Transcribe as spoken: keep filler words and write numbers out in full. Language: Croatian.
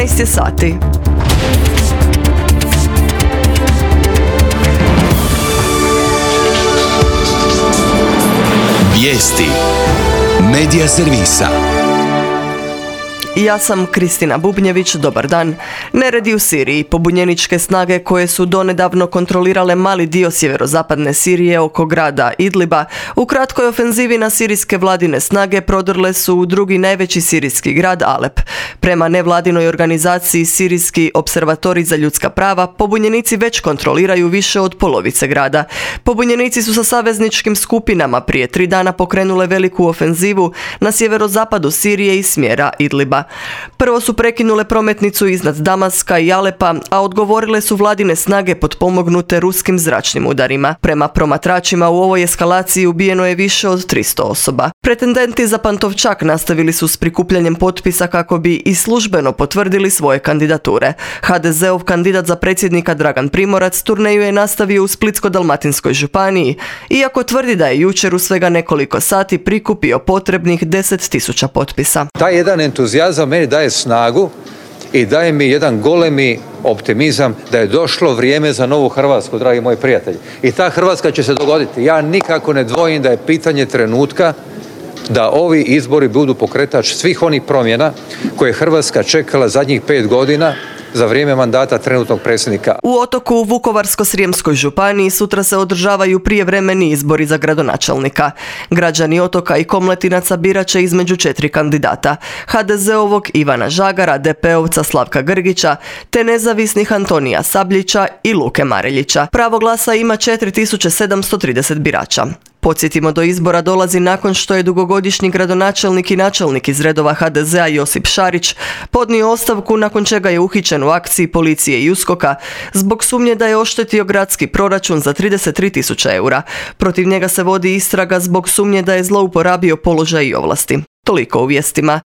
dvanaest je sati. Vijesti Medija servisa. Ja sam Kristina Bubnjević, dobar dan. Neredi u Siriji. Pobunjeničke snage koje su donedavno kontrolirale mali dio sjeverozapadne Sirije oko grada Idliba, u kratkoj ofenzivi na sirijske vladine snage prodrle su u drugi najveći sirijski grad Alep. Prema nevladinoj organizaciji Sirijski observatorij za ljudska prava, pobunjenici već kontroliraju više od polovice grada. Pobunjenici su sa savezničkim skupinama prije tri dana pokrenule veliku ofenzivu na sjeverozapadu Sirije iz smjera Idliba. Prvo su prekinule prometnicu iznad Damaska i Alepa, a odgovorile su vladine snage potpomognute ruskim zračnim udarima. Prema promatračima u ovoj eskalaciji ubijeno je više od tristo osoba. Pretendenti za Pantovčak nastavili su s prikupljanjem potpisa kako bi i službeno potvrdili svoje kandidature. ha de zeov kandidat za predsjednika Dragan Primorac turneju je nastavio u Splitsko-dalmatinskoj županiji, iako tvrdi da je jučer u svega nekoliko sati prikupio potrebnih deset tisuća potpisa. Taj jedan entuzijazam meni daje snagu i daje mi jedan golemi optimizam da je došlo vrijeme za novu Hrvatsku, dragi moji prijatelji. I ta Hrvatska će se dogoditi. Ja nikako ne dvojim da je pitanje trenutka da ovi izbori budu pokretač svih onih promjena koje je Hrvatska čekala zadnjih pet godina za vrijeme mandata trenutnog predsjednika. U Otoku u Vukovarsko-srijemskoj županiji sutra se održavaju prijevremeni izbori za gradonačelnika. Građani Otoka i Komletinaca birat će između četiri kandidata: ha de zeovog Ivana Žagara, de pe ovca Slavka Grgića, te nezavisnih Antonija Sabljića i Luke Mareljića. Pravo glasa ima četiri tisuće sedamsto trideset birača. Podsjetimo, do izbora dolazi nakon što je dugogodišnji gradonačelnik i načelnik iz redova ha de zea Josip Šarić podnio ostavku, nakon čega je uhićen u akciji policije i uskoka zbog sumnje da je oštetio gradski proračun za trideset tri tisuće eura. Protiv njega se vodi istraga zbog sumnje da je zlouporabio položaj i ovlasti. Toliko u vijestima.